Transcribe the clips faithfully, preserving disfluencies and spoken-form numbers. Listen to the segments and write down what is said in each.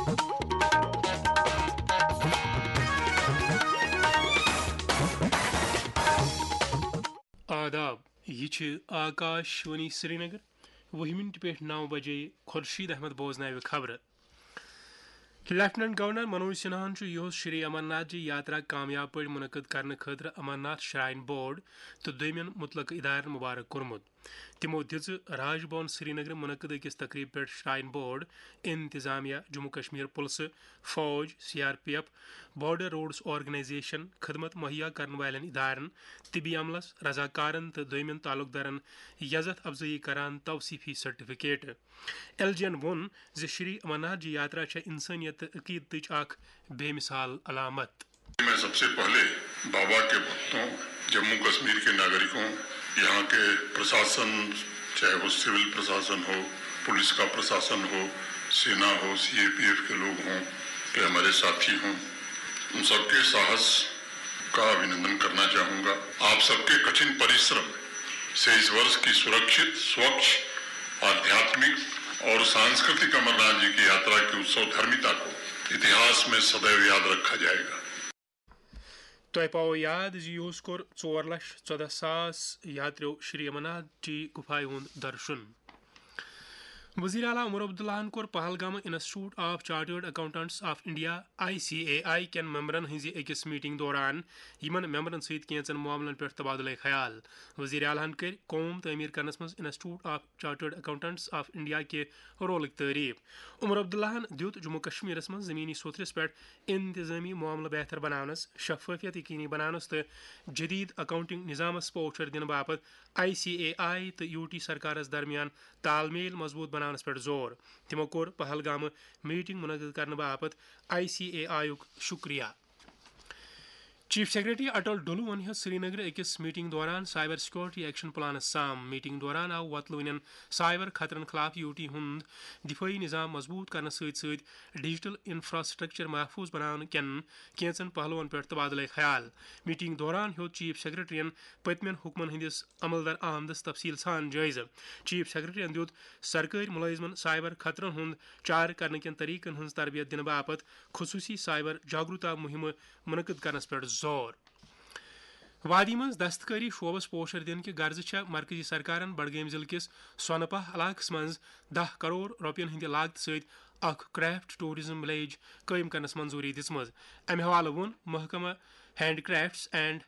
آداب، یہِ چھِ آکاش وانی سرینگر۔ وُہہِ مِنٹہِ پٮ۪ٹھ نَو بجے خورشید احمد بوزناوِ خبرٕ۔ لیفٹیننٹ گورنر منوج سنہاہن چھُ یُہُس شری امرناتھ جی یاترا کامیاب پٲٹھۍ منعقد کرنہٕ خٲطرٕ امرناتھ شراین بورڈ تہٕ دوٚیمٮ۪ن مُتلقہٕ ادارن مبارک کوٚرمُت۔ تِمو دِژ راج بھون سرینگرٕ منعقد أکِس تقریبہِ پٮ۪ٹھ شراین بورڈ، انتظامیہ، جموں کشمیر پُلسہٕ، فوج، C R P F, border roads organisation, خدمت مہیا کرن والٮ۪ن ادارن، طبی عملس، رضاکارن تہٕ دوٚیمٮ۪ن تعلقدارن یزتھ افزٲیی کران توصیفی سرٹیفکیٹ۔ ایل جی ین ووٚن زِ شری امرناتھ جی یاترا چھےٚ انسٲنیت تہٕ عقیدتٕچ اکھ بے مثال علامت۔ میں سب سے پہلے بابا کے بھکتوں، جموں کشمیر کے ناگرکوں، یہاں کے پرشاسن، چاہے وہ سول پرشاسن ہو، پولیس کا پرشاسن ہو، سینا ہو، سی اے پی ایف کے لوگ ہوں، کہ ہمارے ساتھی ہوں، ان سب کے ساہس کا ابھینندن کرنا چاہوں گا۔ آپ سب کے کٹھن پریشرم سے اس वर्ष की सुरक्षित, स्वच्छ, आध्यात्मिक और सांस्कृतिक अमरनाथ जी की यात्रा की उत्सव धर्मिता को इतिहास में सदैव याद रखा जाएगा। تۄہہِ پاوو یاد زِ یُہُس کوٚر ژور لچھ ژۄدہ ساس یاتریو شری امرناتھ جی گُفایہِ ہُنٛد درشُن۔ وزیر اعلیٰ عمر عبداللہن کوٚر Pahalgam Institute of Chartered Accountants of India, I C A I کٮ۪ن ممبرن ہٕنٛزِ أکِس میٹنگ دوران یِمن ممبرن سۭتۍ کینٛژن معاملن پٮ۪ٹھ تبادلہٕ خیال۔ وزیر اعلیٰ ہن کٔرۍ قوم تعمیٖر کرنس منٛز Institute of Chartered Accountants of India کہِ رولٕکۍ تعریف۔ عمر عبداللہن دیُت جموں کشمیرس منٛز زمینی سوٚتھرِس پٮ۪ٹھ انتظامی معاملہٕ بہتر بناونس، شفافیت یقینی بناونس تہٕ جدید اکاؤنٹنگ نظامس پوچھر دِنہٕ باپتھ آئی سی اے آئی تہٕ یو ٹی سرکارس درمیان تال میل مضبوط بناونس پٮ۪ٹھ زور۔ تِمو کوٚر پہلگامہٕ میٹنگ منعقد کرنہٕ باپتھ آئی سی اے آئی یُک شکریہ۔ چیف سیکرٹری اٹل ڈولوَن ہیوٚت سرینگرٕ أکِس میٹنگ دوران سائبر سیکورٹی ایکشن پلانس سام۔ میٹنگ دوران آو وۄتلوٕنٮ۪ن سائبر خطرن خلاف یو ٹی ہُنٛد دفٲعی نظام مضبوط کرنس سۭتۍ سۭتۍ ڈیجیٹل انفراسٹرکچر محفوظ بناونہٕ کٮ۪ن کینٛژن پہلوَن پٮ۪ٹھ تبادلہٕ خیال۔ میٹنگ دوران ہیوٚت چیف سیکرٹریَن پٔتمٮ۪ن حکمن ہٕنٛدِس عمل درآمدس تفصیل سان جٲیزٕ۔ چیف سیکرٹریَن دیُت سرکٲرۍ مُلٲزمن سائبر خطرن ہُنٛد چارٕ کرنہٕ کٮ۪ن طریقن ہٕنٛز تربیت دِنہٕ باپتھ خصوٗصی سائبر جاگروتا مُہِمہٕ منعقد کرنس پٮ۪ٹھ زور۔ وادی منٛز دستکٲری شعبس پوشر دِنہٕ کہِ غرضہٕ چھےٚ مرکزی سرکارن بڈگٲمۍ ضلعہٕ کِس سۄنہٕ پاہ علاقس منٛز دَہ کرور رۄپین ہٕنٛدِ لاگتہٕ سۭتۍ اکھ کرافٹ ٹورازم ولیج قٲیِم کرنس منظوٗری دِژمٕژ۔ امہِ حوالہٕ ووٚن محکمہٕ ہینڈ کرافٹس اینڈ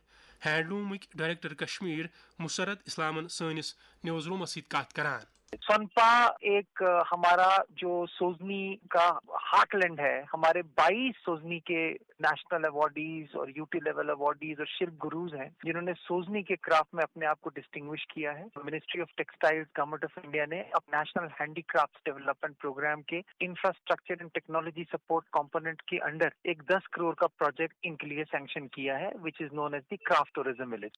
ہینڈلومٕکۍ ڈائریکٹر کشمیر مسرت اسلامن سٲنِس نیوز رومس سۭتۍ کتھ کران۔ سنپا ایک، अ, हमारा जो सोजनी का हार्टलैंड है, हमारे बाईस सोजनी के नेशनल अवार्डीज और यूटी लेवल अवार्डीज और शिल्प गुरुज हैं, जिन्होंने सोजनी के क्राफ्ट में अपने आप को डिस्टिंग्विश किया है। Ministry of textiles, government of India ने अब नेशनल हैंडीक्राफ्ट डेवलपमेंट प्रोग्राम के infrastructure and technology support component के अंडर एक दस करोड़ का प्रोजेक्ट इनके लिए सैंक्शन किया है, which is known as the craft tourism village.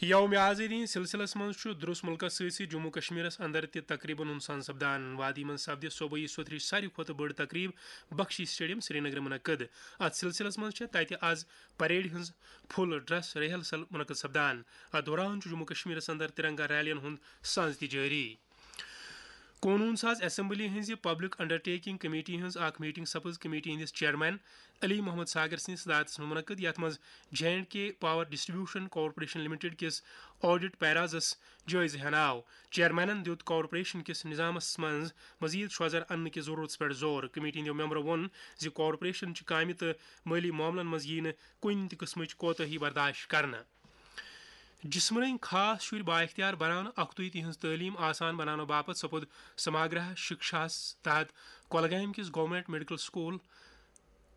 یوم آزادی ہٕنٛدِس سلسلس منٛز چھُ درس مُلکس سۭتۍ سۭتۍ جموں کشمیرس اندر تہِ تقریبن ہُنٛد سن سپدان۔ وادی منٛز سپدِ صوبٲئی سوٚتھرٕچ ساروی کھۄتہٕ بٔڑ تقریب بخشی اسٹیڈیم سرینگر منعقد۔ اتھ سلسلس منٛز چھےٚ تتہِ از پریڈ ہٕنٛز فل ڈریس ریہرسل منعقد سپدان۔ اتھ دوران چھُ جموں کشمیرس اندر ترنگا ریلین ہُنٛد ساز تہِ جٲری۔ قونوٗن ساز اسمبلی ہٕنٛزِ پبلک انڈرٹیکنگ کمیٹی ہٕنٛز اکھ میٹنگ سپٕز کمیٹی ہٕنٛدِس چیئرمین علی محمد ساگر سٕنٛدِس صدارتس منٛز منعقد، یتھ منٛز J and K power distribution corporation limited کِس آڈٹ پیرازس جٲیزٕ ہینہٕ آو۔ چیئرمینن دیُت کارپوریشن کِس نظامس منٛز مزید شوزر اننہٕ کِس ضرورتس پٮ۪ٹھ زور۔ کمیٹی ہٕنٛدیو ممبرو ووٚن زِ کارپوریشن چہِ کامہِ تہٕ مٲلی معاملن منٛز یِیہِ نہٕ کُنہِ تہِ قٕسمٕچ کوتاہی برداش کرنہٕ۔ جسمٲنی خاص شُرۍ بااختیار بناونہٕ، اکھتُے تِہنٛز تعلیٖم آسان بناونہٕ باپتھ سپُد سماگرہ شکشاہس تحت کۄلگامہِ کِس گورنمنٹ میڈیکل سکول،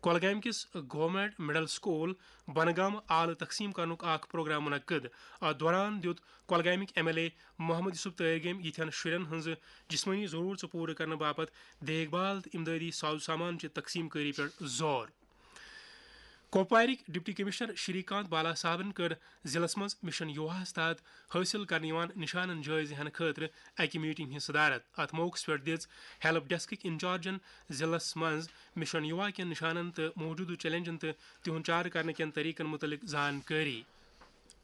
کۄلگامہِ کِس گورنمنٹ مڈل سکول بنگام آلہٕ تقسیٖم کرنُک اکھ پروگرام منعقد۔ اتھ دوران دیُت کۄلگامٕکۍ M L A Mohammad Yousuf Tarigami یِتھٮ۪ن شُرٮ۪ن ہٕنٛز جسمٲنی ضروٗرژٕ پوٗرٕ کرنہٕ باپتھ دیکھ بھال تہٕ امدٲدی ساز و سامان چہِ تقسیٖم کٲری پٮ۪ٹھ زور۔ کۄپوارٕکۍ ڈپٹی کمشنر شری کانت بالا صاحبن کٔر ضلعس منٛز مشن یوہاہس تحت حٲصِل کرنہٕ یِوان نشانن جٲیزٕ ہینہٕ خٲطرٕ اکہِ میٹنگ ہٕنٛز صدارت۔ اتھ موقعس پٮ۪ٹھ دِژ ہیلپ ڈیسکٕکۍ انچارجن ضلعس منٛز مشن یوہا کٮ۪ن نشانن تہٕ موجودٕ چیلنجن تہٕ تِہُنٛد چارٕ کرنہٕ کٮ۪ن طریقن مُتعلق زانکٲری۔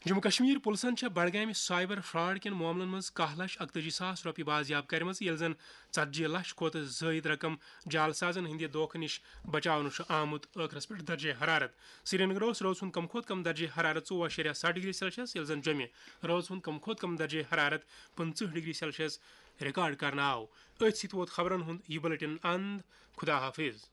جموں کشمیر پُلسَن چھےٚ بڈگامہِ سائبر فراڈ کٮ۪ن معاملن منٛز کاہ لچھ اکتٲجی ساس رۄپیہِ بازیاب کٔرمٕژ، ییٚلہِ زن ژتجی لچھ کھۄتہٕ زٲیِد رقم جعل سازن ہٕنٛدِ دھوکہٕ نِش بچاونہٕ چھُ آمُت۔ ٲخرس پٮ۪ٹھ درجہ حرارت۔ سرینگر اوس رٲژ ہُنٛد کم کھۄتہٕ کم درجہ حرارت ژوٚوُہ اَشاریہ ستھ ڈگری سیلسیس، ییٚلہِ زن جوٚمہِ رٲژ ہُنٛد کم کھۄتہٕ کم درجہ حرارت پٕنٛژٕہ ڈگری سیلسیس ریکارڈ کرنہٕ آو۔ أتھۍ سۭتۍ ووت خبرن ہُنٛد یہِ بلیٹن اند۔ خدا حافظ۔